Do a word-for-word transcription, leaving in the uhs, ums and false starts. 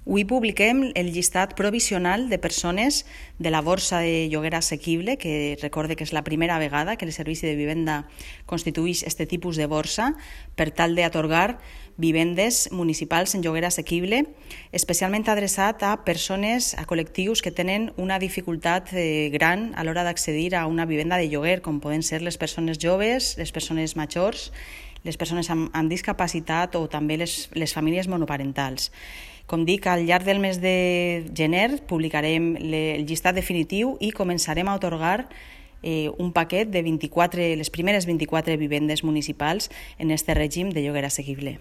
Avui publiquem el llistat provisional de persones de la Borsa de Lloguer Assequible, que recorde que és la primera vegada que el Servici de Vivenda constitueix aquest tipus de borsa per tal d'atorgar vivendes municipals en lloguer assequible, especialment adreçat a persones, a col·lectius que tenen una dificultat gran a l'hora d'accedir a una vivenda de lloguer, com poden ser les persones joves, les persones majors, les persones amb, amb discapacitat o també les, les famílies monoparentals. Com dic, al llarg del mes de gener publicarem el llistat definitiu i començarem a atorgar eh, un paquet de vint-i-quatre, les primeres vint-i-quatre vivendes municipals en aquest règim de lloguer assequible.